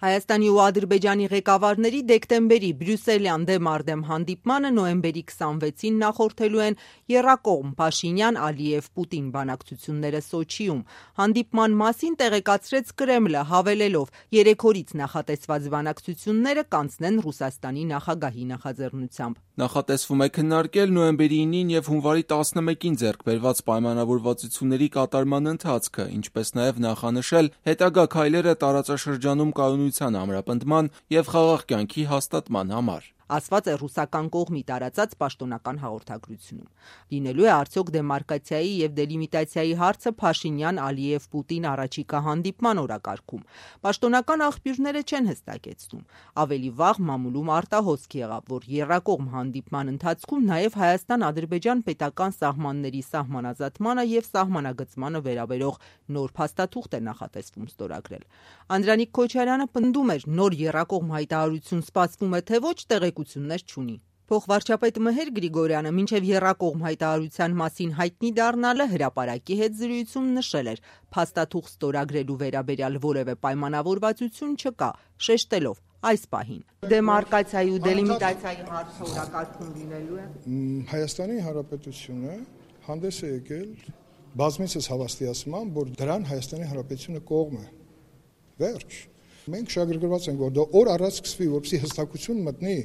Հայաստանի ու Ադրբեջանի ղեկավարների դեկտեմբերի Բրյուսելյան դեմ արդեմ հանդիպմանը նոյեմբերի 26-ին նախորդելու են եռակողմ Փաշինյան-Ալիև-Պուտին բանակցությունները Սոչիում։ Հանդիպման մասին տեղեկացրեց Կրեմլը, հավելելով՝ 3 օրից նախատեսված բանակցությունները կանցնեն Ռուսաստանի նախագահի նախաձեռնությամբ։ Նախատեսվում է քննարկել նոյեմբերի 9-ին և հունվարի 11-ին ձեռք բերված պայմանավորվածությունների կատարման ընթացքը, ինչպես նաև նախանշել հետագա քայլերը տարածաշրջանում կայունության ամրապնդման և խաղաղ կյանքի հաստատման համար։ Ասված է ռուսական կողմի տարածած պաշտոնական հաղորդագրությունում։ Լինելու է արդյոք դեմարկացիայի և դելիմիտացիայի հարցը Փաշինյան-Ալիև-Պուտին առաջիկա հանդիպման օրակարգում։ Պաշտոնական աղբյուրները չեն հստակեցնում։ Ավելի վաղ մամուլում արտահոսք եղավ, որ եռակողմ հանդիպման ընթացքում նաև Հայաստան-Ադրբեջան պետական սահմանների սահմանազատմանը և սահմանագծմանը վերաբերող նոր փաստաթուղթ է նախատեսվում ստորագրել։ Անդրանիկ Քոչարյանը պնդում էր՝ նոր եռակողմ հայտարարություն սպասվում է, թե ոչ, տեղեկություններ չունի։ Փոխվարչապետ Մհեր Գրիգորյանը մինչև եռակողմ հայտարարության մասին հայտնի դառնալը հրապարակի հետ զրույցում նշել էր՝ փաստաթուղթ ստորագրելու վերաբերյալ որևէ պայմանավորվածություն չկա, շեշտելով այս պահին դեմարկացիայի ու դելիմիտացիայի հարցը օրակարգում լինելու է։ Հայաստանի Հանրապետությունը հանդես է եկել բազմիցս հավաստիացման, որ դրան Հայաստանի Հանրապետությունը կողմ է։ Վերջ։ Մենք շահագրգռված ենք, որ դա օր առաջ սկսվի, որպեսզի հստակություն մտնի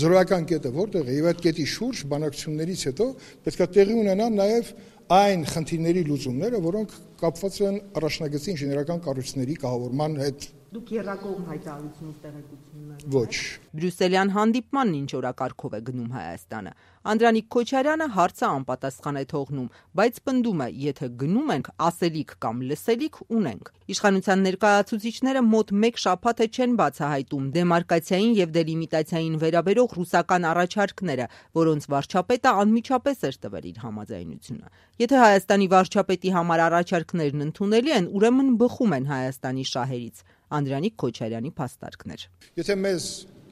զրոյական կետը որտեղ է, եւ այդ կետի շուրջ բանակցություններից հետո պետք է տեղի ունենան նաև այն խնդիրների լուծումները, որոնք կապված են առաջնագծի ինժեներական կառույցների կահավորման հետ։ Դուք եռակողմ հայտարարությունով տեղեկություններ։ Ոչ։ Բրյուսելյան հանդիպմանն ինչ օրակարգով է գնում Հայաստանը։ Անդրանիկ Քոչարյանը հարցը անպատասխան է թողնում, բայց պնդում է, եթե գնում ենք, ասելիք կամ լսելիք ունենք։ Իշխանության ներկայացուցիչները մոտ 1 շաբաթ է չեն բացահայտում դեմարկացիային և դելիմիտացիային վերաբերող ռուսական առաջարկները, որոնց վարչապետը անմիջապես էր տվել իր համաձայնությունը։ Եթե Հայաստանի վարչապետի համար առաջարկներն ընդունելի են, ուրեմն բխում են Հայաստանի շահերից։ Անդրանիկ Քոչարյանի փաստարկներ։ Եթե մեզ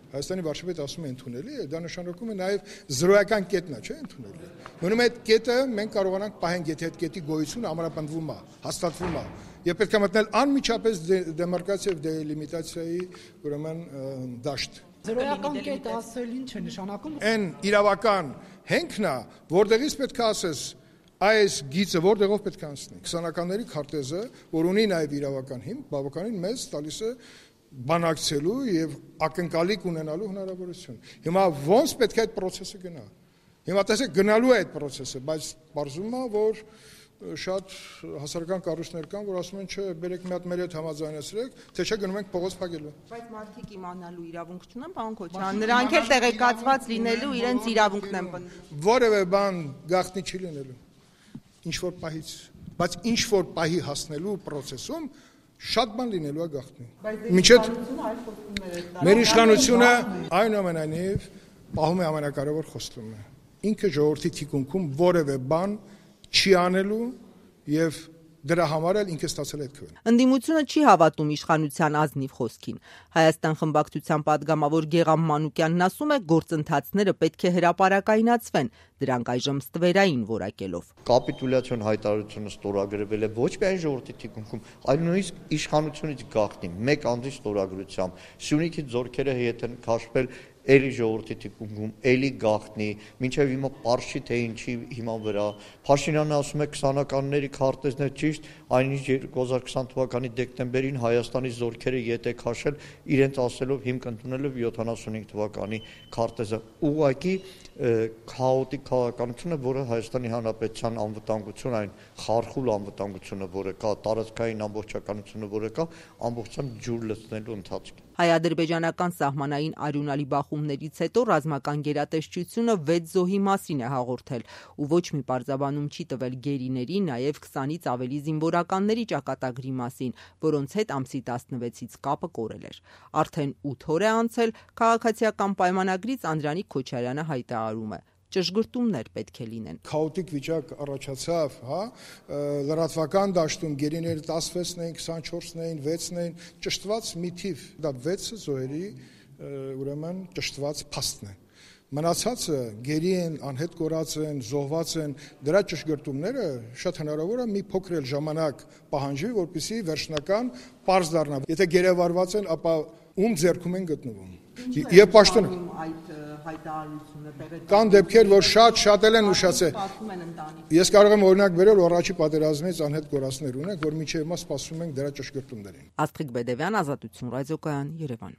Հայաստանի վարչապետը ասում է ընդունելի է, դա նշանակում է նաև զրոյական կետնա, չէ՞ ընդունելի։ Ուրեմն այդ կետը մենք կարողանանք պահենք, եթե այդ կետի գոյությունը ամրապնդվում է, հաստատվում է, եւ պետք է մտնել անմիջապես դեմարկացիա եւ դելիմիտացիայի ուրեմն դաշտ։ Զրոյական կետ ասել ինչ է նշանակում։ Այն իրավական հենքն է, որտեղից պետք է ասես այս գիծը որտեղով պետք է անցնի։ 20-ականների քարտեզը, որ ունի նաև իրավական հիմք, բավականին մեծ տալիս է բանակցելու եւ ակնկալիք ունենալու հնարավորություն։ Հիմա ոնց պետք է այդ process-ը գնա։ Հիմա տեսեք գնալու է այդ process-ը, բայց բարձում է, որ շատ հասարակական կառույցներ կան, որ ասում են, չէ, բերեք մի հատ մեր հետ համաձայնեցրեք, թե չէ գնում ենք փողոց փակելու։ Բայց մարդիկ իմանալու իրավունք չունեն, պարոն Քոչարյան, նրանք էլ տեղեկացված լինելու իրենց իրավունքն են պնդում։ Որևէ բան գաղտնի չի լինելու։ Ինչ որ պահից, բայց ինչ որ պահի հասնելու process-ում շատ բան լինելու է գաղտնի։ Մինչև մեր իշխանությունը այնուամենայնիվ պահում է ամենակարևոր խոստումը։ Ինքը ժողովրդի թիկունքում որևէ բան չի անելու եւ դրա համար էլ ինքը ստացել է այդ քվեն։ Ընդդիմությունը չի հավատում իշխանության ազնիվ խոսքին։ Հայաստան խմբակցության падգամավոր Գեղամ Մանուկյանն ասում է, գործընթացները պետք է հրապարակայնացվեն, դրանք այժմ ստվերային որակելով։ Կապիտուլյացիոն հայտարարությունը ստորագրվել է ոչ միայն ժողովրդի թիկունքում, այլ նույնիսկ իշխանությունից գաղտնի մեկ անձի ստորագրությամբ։ Սյունիքի ձորքերը հետ են քաշվել էլի ժողովրդի թիկունքում, էլի գաղտնի, մինչև հիմա պարզ չի թե ինչի հիման վրա։ Փաշինյանը ասում է 20-ականների քարտեզն է ճիշտ, այնինչ 2020 թվականի դեկտեմբերին Հայաստանի զորքերը ետ է քաշել, իրենց ասելով հիմք ընդունելով 75 թվականի քարտեզը։ Ուղղակի քաոտիկ քաղաքականությունը, որը Հայաստանի Հանրապետության անվտանգություն, այն խարխուլ անվտանգությունը, որը կա, տարածքային ամբողջականությունը, որը կա, ամբողջությամբ ջուր լցնելու ընթացքում։ Հայ-ադրբեջանական սահմանային արյունալի բախումներից հետո ռազմական գերատեսչությունը 6 զոհի մասին է հաղորդել ու ոչ մի պարզաբանում չի տվել գերիների, նաև 20-ից ավելի զինվորականների ճակատագրի մասին, որոնց հետ ամսի 16-ից կապը կորել էր։ Արդեն 8 օր է անցել, քաղաքացիական պայմանագրից Անդրանիկ Քոչարյանը հայտարարում է. ճշգրտումներ պետք է լինեն։ Քաոտիկ վիճակ առաջացավ, լրատվական դաշտում գերիները 16-ն էին, 24-ն էին, 6-ն էին, ճշտված մի թիվ, դա 6 զոհերի ուրեմն ճշտված փաստն է։ Մնացածը գերի են, անհետ կորած են, զոհված են, դրա ճշգրտումները շատ հնարավոր է մի փոքր ժամանակ պահանջի, որպեսզի վերջնական պարզ դառնա։ Եթե գերեվարված են, ապա ում ձեռքում են գտնվում։ Եվ պաշտոն այդ հայտարարությունը տեղի կան դեպքեր, որ շատ են ուշացել։ սպասում են ընտանիք։ Ես կարող եմ օրինակ վերել առաջի պատերազմից անհետ կորածներ ունենք, որ միջև հիմա սպասում ենք դրա ճշգրտումներին։ Աստղիկ Բեդևյան, Ազատություն ռադիոկայան, Երևան։